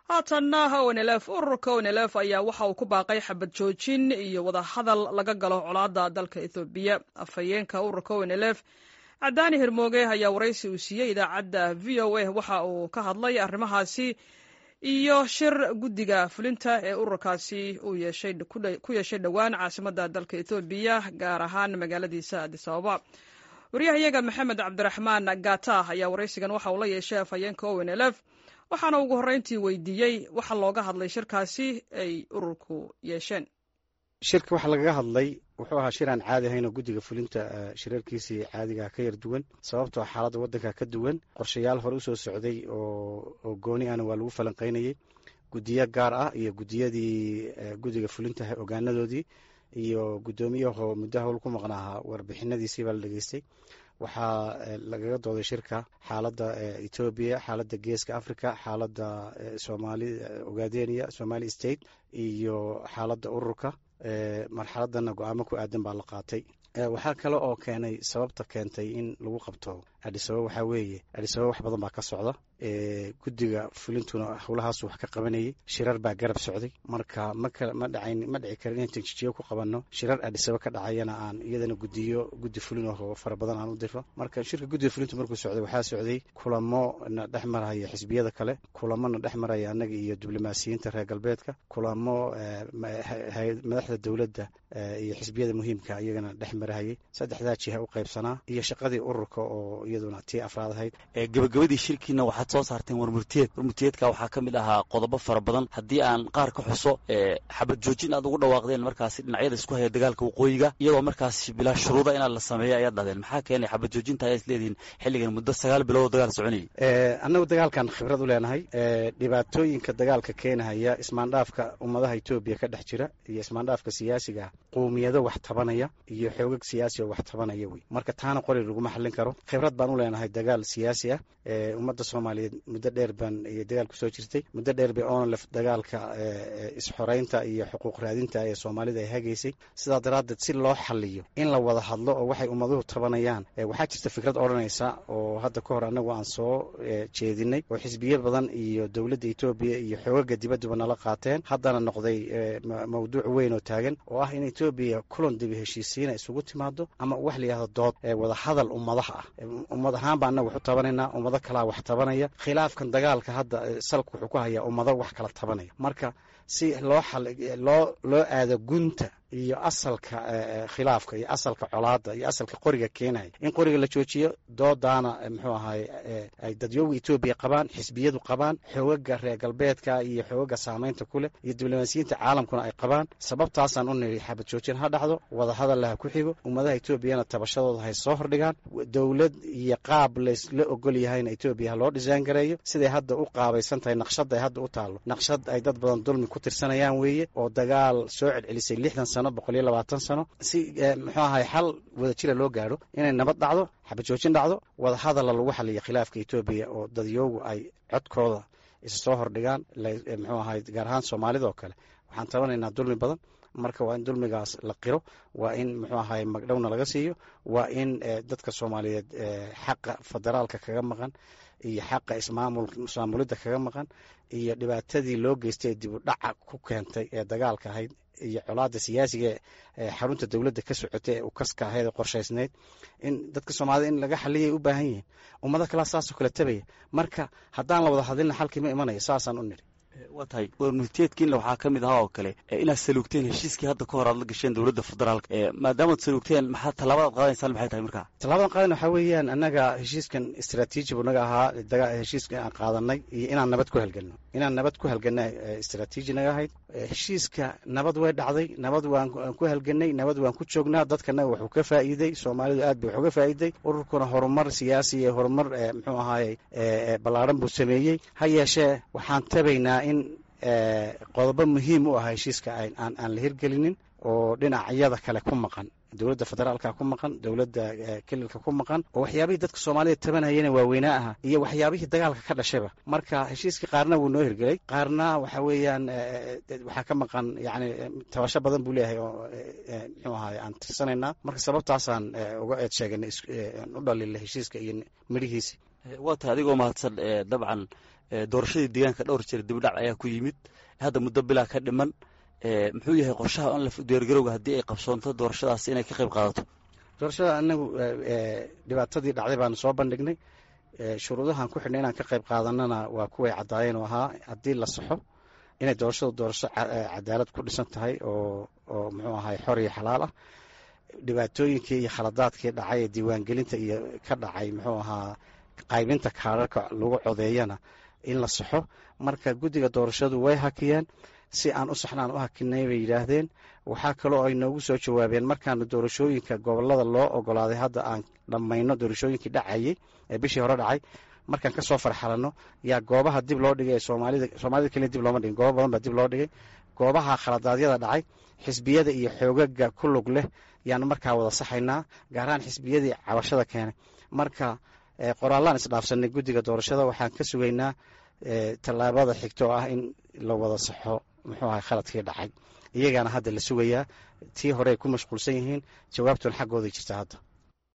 Haatanna ONLF. Ururka ONLF ayaa waxa uu ku baaqay xabad joojin iyo wadahadal laga galo colaadda dalka Ethoobiya. Afhayeenka ururka ONLF, Cadaani Hirmooge, ayaa waraysi uu siiyey idaacadda VOA waxa uu ka hadlay arrimahaasi iyo shir guddiga fulinta ee ururkaasi uu ku yeeshay dhowaan caasimadda dalka Ethoobiya, gaar ahaan magaaladiisa Addis Ababa. Waryahayaga Maxamed Cabdiraxmaan Gata ayaa waraysigan waxa uu la yeeshay afhayeenka ONLF, waxaana ugu horreyntii weydiiyey waxa looga hadlay shirkaasi ay ururku yeesheen. Shirka waxaa lagaga hadlay wuxuu ahaa shir aan caadi ahayn oo guddiga fulinta shirarkiisii caadiga ka yar duwan, sababtoo xaaladda waddanka ka duwan. Qorshayaal hore usoo socday oo gooni ahna waa lagu falanqeynayey, guddiyo gaar ah iyo guddiyadii guddiga fulinta ogaanadoodii iyo guddoomiyaho muddo howl ku maqnaahaa warbixinadiisii baa la dhegeystay. Waxaa lagaga dooday shirka xaaladda Etoobiya, xaaladda Geeska Africa, xaaladda Somaali Ogaadenia, Somali State iyo xaaladda ururka. Marxaladana go'aamo ku aadan baa la qaatay. Waxaa kale oo keenay, sababta keentay in lagu qabto Addis Ababa waxaa weeye, Addis Ababa wax badan baa ka socda, guddiga fulintuna howlahaasu wax ka qabanayay, shirar baa garab socday. Marka ma dhacayn, ma dhici karin inaan Jigjigo ku qabanno shirar Addis Ababa ka dhacayana aan iyadana guddiyo guddi fulin oo fara badan aan u diro. Marka shirka guddiga fulintu markuu socday, waxaa socday kulamo na dhex maraya xisbiyada kale, kulamo na dhex maraya annaga iyo diblomaasiyiinta reer galbeedka, kulamo madaxda dowladda iyo xisbiyada muhiimka iyagana dhex marahayay. Saddexdaa jiha u qaybsanaa iyo shaqadii ururka oo iyaduna tii afraad ahayd. Gabagabadii shirkiina waxaad soo saarteen warmurtiyeed. Warmurtiyeedka waxaa ka mid ahaa qodobo fara badan. Haddii aan qaar ka xuso, xabad joojin aad ugu dhawaaqdeen markaasi dhinacyada isku haya dagaalka waqooyiga, iyadoo markaas bilaa shuruuda inaad la sameeyo ayaad dhahdeen. Maxaa keenay xabad joojinta ayaa is leedihiin xilligan muddo 9 bilood oo dagaal soconayay? Annagu dagaalkan khibrad u leenahay, dhibaatooyinka dagaalka keenahaya, ismaandhaafka ummadaha Etoobiya ka dhex jira iyo ismaandhaafka siyaasiga, qowmiyado wax tabanaya iyo xoogag siyaasi oo wax tabanaya wey. Marka taana qori laguma xallin karo. Khibrad baan u leenahay dagaal siyaasi ah. Ummadda Soomaaliyeed muddo dheer baan iyo dagaal kusoo jirtay, muddo dheer bay ONLF dagaalka isxoreynta iyo xuquuq raadinta ee Soomaalida ay hagaysay. Sidaa daraaddeed, si loo xaliyo, in la wada hadlo oo waxay ummaduhu tabanayaan. Waxaa jirta fikrad odhanaysa oo hadda ka hor annagu aan soo jeedinay oo xisbiyo badan iyo dowladda Etoobiya iyo xoogaga dibadduba nala qaateen, haddana noqday mawduuc weyn oo taagan, oo ah in Etoobiya kulan dibi heshiisiina isugu timaado ama wax la yihahdo dood wada hadal ummadaha ah. Ummad ahaan baa annaga wax u tabanaynaa, ummado kalaa wax tabanaya. Khilaafkan dagaalka hadda salka wuxuu ku hayaa ummado wax kala tabanaya. Marka si loo loo aado gunta iyo asalka khilaafka iyo asalka colaadda iyo asalka qoriga keenaya, in qoriga la joojiyo, doodaana muxuu ahaay ay dadyooga Etoobiya qabaan, xisbiyadu qabaan, xoogaga reer galbeedka iyo xoogaga saameynta ku leh iyo diblomaasiyiinta caalamkuna ay qabaan. Sababtaasaan u niri xabad joojin ha dhacdo, wadahadalla ha ku xigo, ummadaha Etoobiyana tabashadooda hay soo hordhigaan, dowlad iyo qaab laysla ogol yahayna Etoobiya ha loo dhisaan gareeyo. Siday hadda u qaabaysan tahay, naqshad ay hadda u taallo, naqshad ay dad badan dulmi ku tirsanayaan weeye, oo dagaal soo celcelisay 60 sano, 120 sano. Si muxuu ahay xal wada jira loo gaadho, inay nabad dhacdo, xabad joojin dhacdo, wada hadalla lagu xaliyo khilaafka Etoobiya oo dadyoogu ay codkooda isa soo hordhigaan. Muxuu ahay, gaar ahaan Soomaalida oo kale, waxaan tabanaynaa dulmi badan. Marka waa in dulmigaas la qiro, waa in muxuu ahay magdhowna laga siiyo, waa in dadka Soomaaliyeed xaqa federaalka kaga maqan iyo xaqa ismaamulidda kaga maqan iyo dhibaatadii loo geystay ee dib u dhaca ku keentay ee dagaalka ahayd iyo colaadda siyaasiga ee xarunta dowladda ka socotay ee ukaska ahayd ee qorshaysnayd, in dadka Soomaalida in laga xaliyay u baahan yihiin. Ummado kalaa saasoo kale tabaya. Marka haddaan la wada hadlina, xalkii ma imanayo. Saasaan u nidhi. Waa tahay. Warmurtiyeedkiinna waxaa ka mid ahaa oo kale inaad saluugteen heshiiskii hadda ka hor aad la gasheen dowladda federaalka. Maadaamaad saluugteen, maxaa tallaabadaad qaadaysaan? Maxay tahay markaa? Tallaabadan qaadan waxaa weeyaan, annaga heshiiskan istraatiiji buu naga ahaa, heshiiskan aan qaadanay iyo inaan nabad ku halgelno, inaan nabad ku halgana istraatiiji naga ahayd. Heshiiska nabad way dhacday, nabad waan ku halganay, nabad waan ku joognaa. Dadkana wuxuu ka faa'iiday, Soomaalidu aad bay wax uga faa'iiday. Ururkuna horumar siyaasi iyo horumar muxuu ahaayey ballaaran buu sameeyey. Ha yeeshee, waxaan tabaynaa in qodobo muhiim u ah heshiiska aan la hirgelinin oo dhinacyada kale ku maqan, dowladda federaalka ku maqan, dowladda kelilka ku maqan, oo waxyaabihii dadka Soomaalida tabanayana waaweynaa aha iyo waxyaabihii dagaalka ka dhashayba. Marka heshiiskii qaarna wuu noo hirgelay, qaarna waxa weeyaan waxaa ka maqan, yani tabasho badan buu leeyahay oo muxuu ahaay aan tirsanaynaa. Marka sababtaasaan uga eed sheeganay, u dhaliilay heshiiska iyo midhihiisi. Waa tahay, adigoo mahadsan. Dabcan Doorashadii deegaanka dhowr jeer dibdhac ayaa ku yimid, hadda muddo bilaa ka dhiman. Muxuu yahay qorshaha ONLF diyaargarowga haddii ay qabsoonto doorashadaas inay ka qayb qaadato? Doorashada anagu dhibaatadii dhacday baanu soo bandhignay. Shuruudahan ku xidhnay inaan ka qayb qaadanana waa kuway caddaayeen oo ahaa haddii la saxo inay doorashadu doorasho cadaalad ku dhisan tahay oo muxuu ahay xor iyo xalaal ah. Dhibaatooyinkii iyo khaladaadkii dhacay ee diiwaangelinta iyo ka dhacay muxuu ahaa qaybinta kaararka lagu codeeyana in la saxo. Marka guddiga doorashadu way hakiyeen, si aan u saxnaan u hakinay bay yidhaahdeen. Waxaa kaloo ay noogu soo jawaabeen markaanu doorashooyinka gobolada loo ogolaaday hadda aan dhammayno doorashooyinkii dhacayey ee bishii hore dhacay, markaan kasoo farxalanno yaa goobaha dib loo dhigay ee soomaalida, soomaalida keliya dib looma dhigin, goobo badan baa dib loo dhigay. Goobaha khaladaadyada dhacay xisbiyada iyo xoogaga ku lug leh yaanu markaa wada saxaynaa, gaar ahaan xisbiyadii cabashada keenay. Marka qoraallaan isdhaafsanay guddiga doorashada, waxaan ka sugaynaa tallaabada xigta oo ah in la wada saxo muxuu ahay khaladkii dhacay. Iyagaana hadda la sugayaa, tii hore ay ku mashquulsan yihiin, jawaabtuna xaggooday jirta hadda.